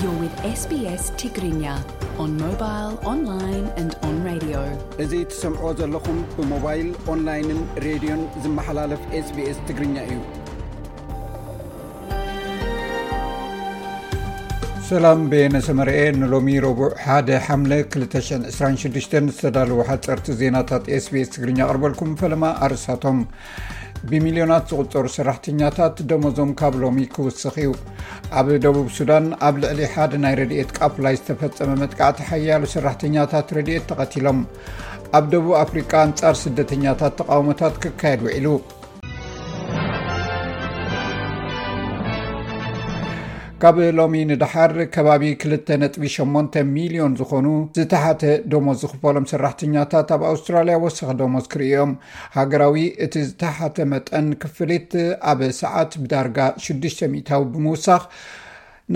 You're with S B S Tigrinya on mobile, online and on radio. እዚ ትሰምዕዎ ዘለኹም ብሞባይል፣ ኦንላይንን ሬድዮን ዝመሓላለፍ SBS ትግርኛ እዩ። ሰላም፣ በየነ ሰመርኤ። ንሎሚ ረቡዕ ሓደ ሓምለ ክልተ ሽሕን ዕስራን ሽዱሽተን ዝተዳለዉ ሓፀርቲ ዜናታት SBS ትግርኛ ኣቕርበልኩም። ፈለማ ኣርእስታቶም። ብሚልዮናት ዝቑጸሩ ሰራሕተኛታት ደሞዞም ካብ ሎሚ ክውስኽ እዩ። ኣብ ደቡብ ሱዳን ኣብ ልዕሊ ሓደ ናይ ረድኤት ቃፍላይ ዝተፈጸመ መጥቃዕቲ ሓያሎ ሰራሕተኛታት ረድኤት ተቐቲሎም። ኣብ ደቡብ ኣፍሪቃ ኣንጻር ስደተኛታት ተቓውሞታት ክካየድ ውዒሉ። ካብ ሎሚ ንደሓር ከባቢ ክልተ ነጥቢ ሸሞንተ ሚልዮን ዝኾኑ ዝተሓተ ደሞዝ ዝኽፈሎም ሰራሕተኛታት ኣብ ኣውስትራልያ ወሰኸ ደሞዝ ክርእዮም። ሃገራዊ እቲ ዝተሓተ መጠን ክፍሊት ኣብ ሰዓት ብዳርጋ ሽዱሽተ ሚእታዊ ብምውሳኽ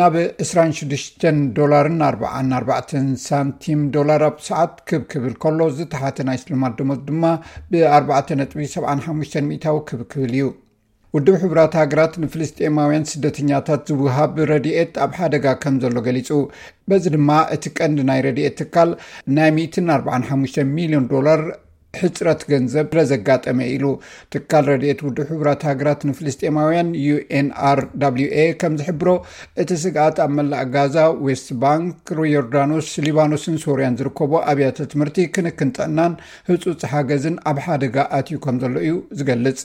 ናብ ዕስራን ሽዱሽተን ዶላርን ኣርባዓን ኣርባዕተን ሳንቲም ዶላር ኣብ ሰዓት ክብ ክብል ከሎ፣ ዝተሓተ ናይ ስልማት ደሞዝ ድማ ብ ኣርባዕተ ነጥቢ ሰብዓን ሓሙሽተን ሚእታዊ ክብ ክብል እዩ። ውድብ ሕቡራት ሃገራት ንፍልስጤማውያን ስደተኛታት ዝወሃብ ረድኤት ኣብ ሓደጋ ከም ዘሎ ገሊጹ። በዚ ድማ እቲ ቀንዲ ናይ ረድኤት ትካል ናይ ሚእትን ኣርባዓን ሓሙሽተን ሚልዮን ዶላር ሕጽረት ገንዘብ ስለ ዘጋጠመ ኢሉ። ትካል ረድኤት ውድብ ሕቡራት ሃገራት ንፍልስጤማውያን ዩ ኤን ኣር ዳብሊው ኤ ከም ዝሕብሮ፣ እቲ ስግኣት ኣብ መላእ ጋዛ፣ ዌስት ባንክ፣ ዮርዳኖስ፣ ሊባኖስን ሶርያን ዝርከቡ ኣብያተ ትምህርቲ፣ ክንክን ጥዕናን ህጹጽ ሓገዝን ኣብ ሓደጋ ኣትዩ ከም ዘሎ እዩ ዝገልጽ።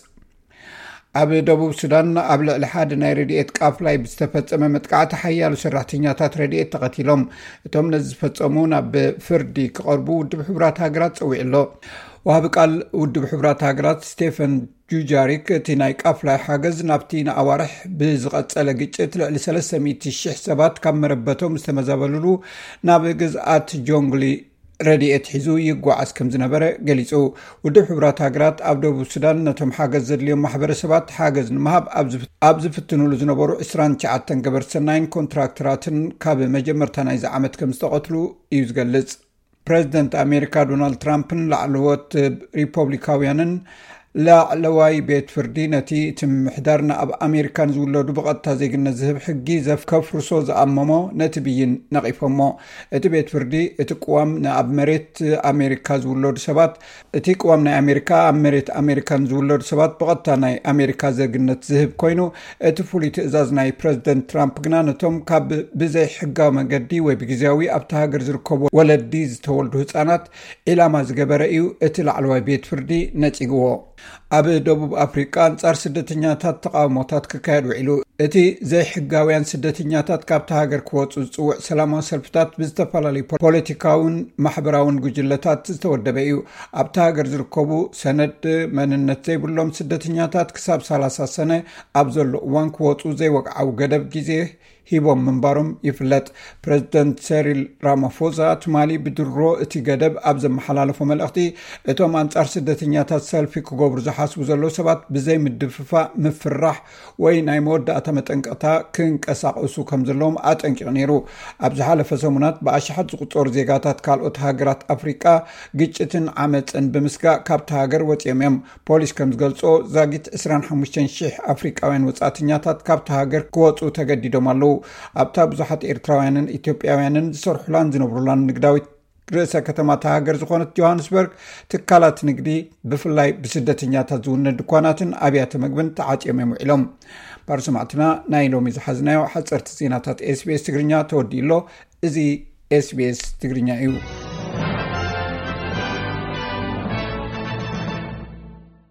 ኣብ ደቡብ ሱዳን ኣብ ልዕሊ ሓደ ናይ ረድኤት ቃፍላይ ብዝተፈጸመ መጥቃዕቲ ሓያሎ ሰራሕተኛታት ረድኤት ተቐቲሎም። እቶም ነዚ ዝፈጸሙ ናብ ፍርዲ ክቐርቡ ውድብ ሕቡራት ሃገራት ጸዊዑ ኣሎ። ወሃቢ ቃል ውድብ ሕቡራት ሃገራት ስቴፈን ጁጃሪክ፣ እቲ ናይ ቃፍላይ ሓገዝ ናብቲ ንኣዋርሕ ብዝቐጸለ ግጭት ልዕሊ ሰለስተ ሚእቲ ሽሕ ሰባት ካብ መረበቶም ዝተመዛበልሉ ናብ ግዝኣት ጆንግሊ ረድኤት ሒዙ ይጓዓዝ ከም ዝነበረ ገሊጹ። ውድብ ሕቡራት ሃገራት ኣብ ደቡብ ሱዳን ነቶም ሓገዝ ዘድልዮም ማሕበረሰባት ሓገዝ ንምሃብ ኣብ ዝፍ-፣ ኣብ ዝፍትኑሉ ዝነበሩ ዕስራን ትሽዓተን ገበርቲ ሰናይን ኮንትራክተራትን ካብ መጀመርታ ናይዚ ዓመት ከም ዝተቐትሉ እዩ ዝገልጽ። ፕረዚደንት ኣሜሪካ ዶናልድ ትራምፕን ላዕለዎት ሪፖብሊካውያንን ላዕለዋይ ቤት ፍርዲ ነቲ እቲ ምምሕዳር ንኣብ ኣሜሪካ ንዝውለዱ ብቐጥታ ዜግነት ዝህብ ሕጊ ዘፍ-፣ ከፍርሶ ዝኣመሞ ነቲ ብይን ነቒፎሞ። እቲ ቤት ፍርዲ እቲ ቅዋም ንኣብ መሬት ኣሜሪካ ዝውለዱ ሰባት፣ እቲ ቅዋም ናይ ኣሜሪካ ኣብ መሬት ኣሜሪካ ንዝውለዱ ሰባት ብቐጥታ ናይ ኣሜሪካ ዜግነት ዝህብ ኮይኑ፣ እቲ ፍሉይ ትእዛዝ ናይ ፕረዚደንት ትራምፕ ግና ነቶም ካብ ብዘይ ሕጋዊ መገዲ ወይ ብግዜያዊ ኣብቲ ሃገር ዝርከቡ ወለዲ ዝተወልዱ ህጻናት ዒላማ ዝገበረ እዩ እቲ ላዕለዋይ ቤት ፍርዲ ነጺግዎ። ኣብ ደቡብ ኣፍሪቃ ኣንጻር ስደተኛታት ተቓውሞታት ክካየድ ውዒሉ። እቲ ዘይሕጋውያን ስደተኛታት ካብቲ ሃገር ክወጹ ዝጽውዕ ሰላማዊ ሰልፍታት ብዝተፈላለዩ ፖ-፣ ፖለቲካውን ማሕበራውን ጉጅለታት ዝተወደበ እዩ። ኣብቲ ሃገር ዝርከቡ ሰነድ መንነት ዘይብሎም ስደተኛታት ክሳብ ሰላሳ ሰነ ኣብ ዘሎ እዋን ክወጹ ዘይወግዓዊ ገደብ ግዜ ሂቦም ምንባሮም ይፍለጥ። ፕረዚደንት ሰሪል ራማፎዛ ትማሊ ብድሮ እቲ ገደብ ኣብ ዘመሓላለፎ መልእኽቲ፣ እቶም ኣንጻር ስደተኛታት ሰልፊ ክገብሩ ዝሓስቡ ዘለዉ ሰባት ብዘይ ምድፍፋእ፣ ምፍራሕ ወይ ናይ መወዳእታ መጠንቀቕታ ክንቀሳቐሱ ከም ዘለዎም ኣጠንቂቑ ነይሩ። ኣብ ዝሓለፈ ሰሙናት ብኣሽሓት ዝቑጸሩ ዜጋታት ካልኦት ሃገራት ኣፍሪቃ ግጭትን ዓመጽን ብምስጋእ ካብቲ ሃገር ወጺኦም እዮም። ፖሊስ ከም ዝገልጾ፣ ዛጊት ዕስራን ሓሙሽተን ሽሕ ኣፍሪቃውያን ወጻእተኛታት ካብቲ ሃገር ክወጹ ተገዲዶም ኣለዉ። ኣብታ ብዙሓት ኤርትራውያንን ኢትዮጵያውያንን ዝሰርሑላን ዝነብሩላን ንግዳዊት ርእሰ ከተማ እታ ሃገር ዝኾነት ጆሃንስበርግ፣ ትካላት ንግዲ፣ ብፍላይ ብስደተኛታት ዝውነ ድኳናትን ኣብያተ መግብን ተዓጽዮም እዮም ውዒሎም። ባር ሰማዕትና፣ ናይ ሎሚ ዝሓዝናዮ ሓጸርቲ ዜናታት SBS ትግርኛ ተወዲኡ ኣሎ። እዚ SBS ትግርኛ እዩ።